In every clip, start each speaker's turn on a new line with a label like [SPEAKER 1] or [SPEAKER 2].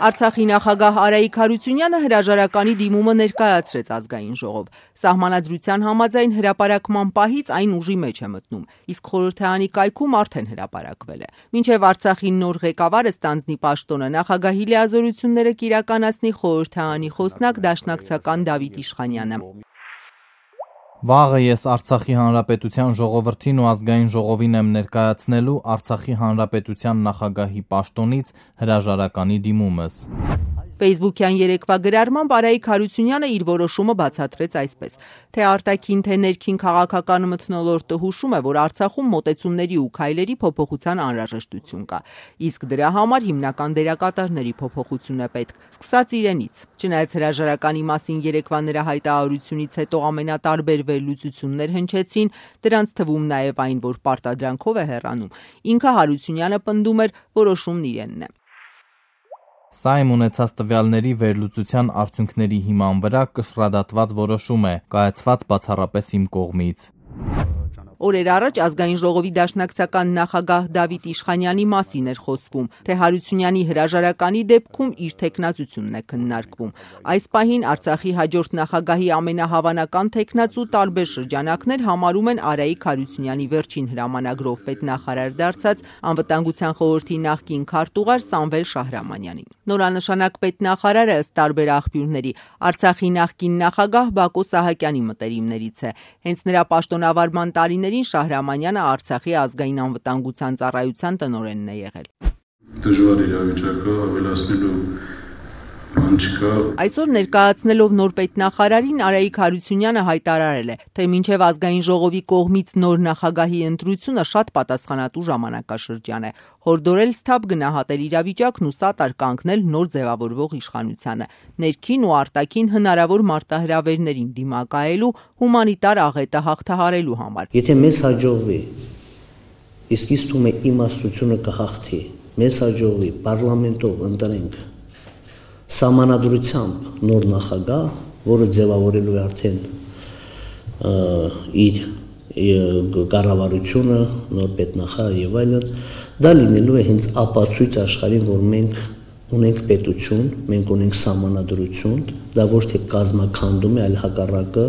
[SPEAKER 1] Արցախի նախագահ Արայիկ Հարությունյանը հրաժարականի դիմումը ներկայացրեց ազգային ժողով։ Սահմանադրության համաձայն հրապարակման պահից այն ուժի մեջ է մտնում, իսկ խորհրդարանի կայքում արդեն հրապարակվել է։ Մինչև Արցախի նոր ղեկավարը ստանձնի պաշտոնը, նախագահի լիազորությունները կիրականացնի խորհրդարանի խոսնակ դաշնակցական Դավիթ Իշխանյանը։
[SPEAKER 2] Վաղը ես Արցախի Հանրապետության ժողովրդին ու ազգային ժողովին եմ ներկայացնելու Արցախի Հանրապետության նախագահի պաշտոնից հրաժարականի դիմումս։
[SPEAKER 1] Facebook-յան երեկվա գրառմամբ Արայիկ Հարությունյանը իր որոշումը բացատրեց այսպես. թե արտաքին, թե ներքին քաղաքական մթնոլորտը հուշում է, որ Արցախում մոտեցումների ու քայլերի փոփոխության անհրաժեշտություն կա, իսկ դրա համար հիմնական դերակատարների փոփոխություն է պետք, սկսած իրենից։ Չնայած հրաժարականի մասին երեկվա նրա հայտարարությունից հետո ամենատարբեր վերլուծություններ հնչեցին, դրանց թվում նաև այն, որ պարտադրանքով է հեռանում, ինքը Հարությունյանը պնդում էր, որոշումն իրենն է։
[SPEAKER 2] Սա իմ ունեցած տվյալների վերլուծության արդյունքների հիման վրա կշռադատված որոշում է, կայացված բացառապես իմ կողմից։
[SPEAKER 1] Օրեր առաջ ազգային ժողովի դաշնակցական նախագահ Դավիթ Իշխանյանի մասին էր խոսվում, թե Հարությունյանի հրաժարականի դեպքում իր թեկնածությունն է քննարկվում։ Այս պահին Արցախի հաջորդ նախագահի ամենահավանական թեկնածու տարբեր շրջանակներ համարում են Արայիկ Հարությունյանի վերջին հրամանագրով պետնախարար դարձած անվտանգության խորհրդի նախկին քարտուղար Սամվել Շահրամանյանին։ Նորանշանակ պետնախարարը ըստ տարբեր աղբյուրների Արցախի նախկին նախագահ Բակո Սահակյանի մտերիմներից է։ Հենց նրա պաշտոնավարման տարիներին Շահրամանյանը Արցախի ազգային անվտանգության ծառայության տնօրենն է եղել։
[SPEAKER 3] Դժվար իրավիճակը ավելացնելու բան չկա։
[SPEAKER 1] Այսօր ներկայացնելով նոր պետնախարարին Արայիկ Հարությունյանը հայտարարել է, թե մինչև ազգային ժողովի կողմից նոր նախագահի ընտրությունը շատ պատասխանատու ժամանակաշրջան է, հորդորել սթափ գնահատել իրավիճակն ու սատար կանգնել նոր ձևավորվող իշխանությանը, ներքին ու արտաքին հնարավոր մարտահրավերներին դիմակայելու հումանիտար աղետը հաղթահարելու համար։
[SPEAKER 4] Եթե մեզ հաջողվի, իսկ ինձ թվում է իմաստությունը կհաղթի, մեզ հաջողվի պարլամենտով ընտրենք սահմանադրությամբ նոր նախագահ, որը ձևավորելու է արդեն իր կառավարությունը, նոր պետնախարար եւ այլն, դա լինելու է հենց ապացույց աշխարհին, որ մենք ունենք պետություն, մենք ունենք սահմանադրություն, դա ոչ թե կազմաքանդում է, այլ հակառակը։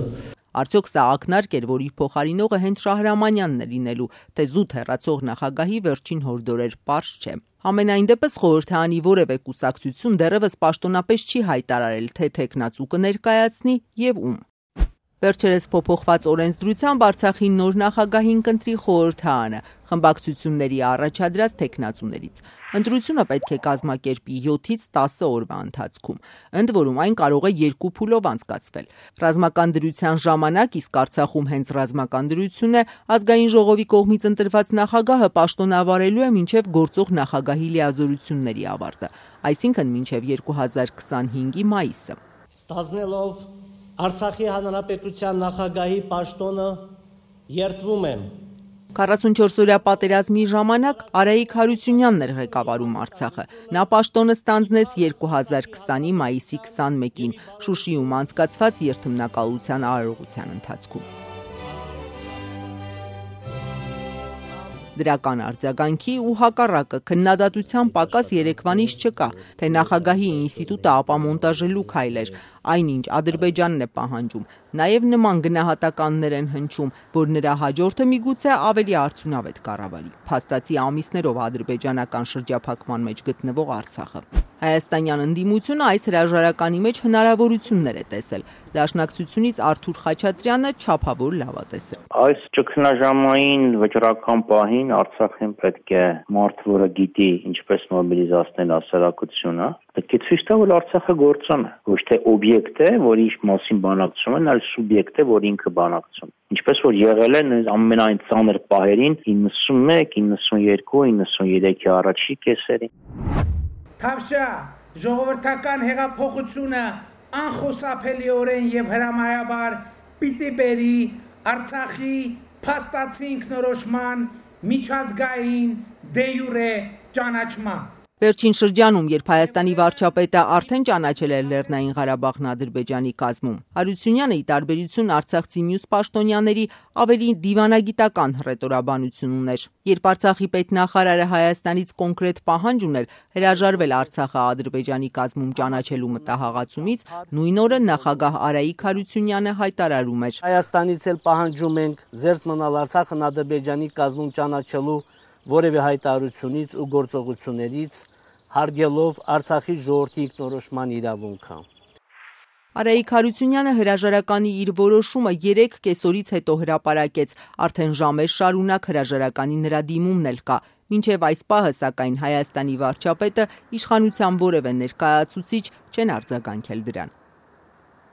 [SPEAKER 1] Արդյոք սա ակնարկ էր, որ իր փոխարինողը հենց Շահրամանյանն է լինելու, թե զուտ հեռացող նախագահի վերջին հորդորեր, պարզ չէ։ Համենայն դեպս խորհրդարանի որևէ կուսակցություն դեռևս պաշտոնապես չի հայտարարել, թե թեկնածու կներկայացնի եւ ում։ Վերջերս փոփոխված օրենսդրությամբ Արցախի նոր նախագահին կընտրի խորհրդարանը խմբակցությունների առաջադրած թեկնածուներից։ Ընտրությունը պետք է կազմակերպի 7-ից 10 օրվա ընթացքում, ընդ որում այն կարող է 2 փուլով անցկացվել։ Ռազմական դրության ժամանակ, իսկ Արցախում հենց ռազմական դրություն է, ազգային ժողովի կողմից ընտրված նախագահը պաշտոնավարելու է մինչև գործող նախագահի լիազորությունների ավարտը, այսինքն մինչև 2025-ի մայիսը։
[SPEAKER 4] Ստանձնելով Արցախի հանրապետության նախագահի պաշտոնը երդվում եմ
[SPEAKER 1] 44-օրյա պատերազմի ժամանակ Արայիկ Հարությունյանն էր ղեկավարում Արցախը։ Նա պաշտոնը ստանձնեց 2020-ի մայիսի 21-ին Շուշիում անցկացված երթմնակալության արարողության ընթացքում։ Դրական արձագանքի ու հակառակը քննադատության պակաս երեկվանից չկա, թե նախագահի ինստիտուտը ապամոնտաժելու քայլ էր, այնինչ Ադրբեջանն է պահանջում, նաև նման գնահատականներ են հնչում, որ նրա հաջորդը միգուցե ավելի արդյունավետ կառավարի, փաստացի ամիսներով ադրբեջանական շրջափակման մեջ գտնվող Արցախը։ Հայաստանյան ընդդիմությունը այս հրաժարականի մեջ հնարավորություններ է տեսել։ Դաշնակցությունից Արթուր Խաչատրյանը չափավոր լավատես է։
[SPEAKER 5] Այս ճգնաժամային վճռական պահին Արցախին պետք է մարդ, որը գիտի ինչպես մոբիլիզացնել հասարակությունը, պետք է ցույց տա, որ Արցախը գործոն է, ոչ թե օբյեկտ է, որի մասին բանակցում են, այլ սուբյեկտ է, որ ինքը բանակցում։ Ինչպես որ եղել է ամենայն ծանր պահերին 91, 92, 93-ի առաջի կեսերին։
[SPEAKER 6] Թավշյա ժողովրդական հեղափոխությունը անխուսափելիորեն եւ հրամայաբար պիտի բերի Արցախի փաստացի ինքնորոշման միջազգային դե յուրե ճանաչման։
[SPEAKER 1] Վերջին շրջանում, երբ Հայաստանի վարչապետը արդեն ճանաչել էր Լեռնային Ղարաբաղն Ադրբեջանի կազմում, Հարությունյանը, ի տարբերություն արցախցի մյուս պաշտոնյաների, ավելի դիվանագիտական հռետորաբանություն ուներ։ Երբ Արցախի պետնախարարը Հայաստանից կոնկրետ պահանջ ուներ հրաժարվել Արցախը Ադրբեջանի կազմում ճանաչելու մտահղացումից, նույն օրը նախագահ Արայիկ Հարությունյանը հայտարարում էր.
[SPEAKER 4] Հայաստանից էլ պահանջում ենք զերծ մնալ Արցախն Ադրբեջանի կազմում ճանաչելու որևէ հայտարարությունից ու գործողություններից, հարգելով Արցախի ժողովրդի ինքնորոշման իրավունքը։
[SPEAKER 1] Արայիկ Հարությունյանը հրաժարականի իր որոշումը 3 կեսօրից հետո հրապարակեց, արդեն ժամեր շարունակ հրաժարականի նրա դիմումն էլ կա։ Մինչև այս պահը, սակայն, Հայաստանի վարչապետը իշխանության որևէ ներկայացուցիչ չեն արձագանքել դրան։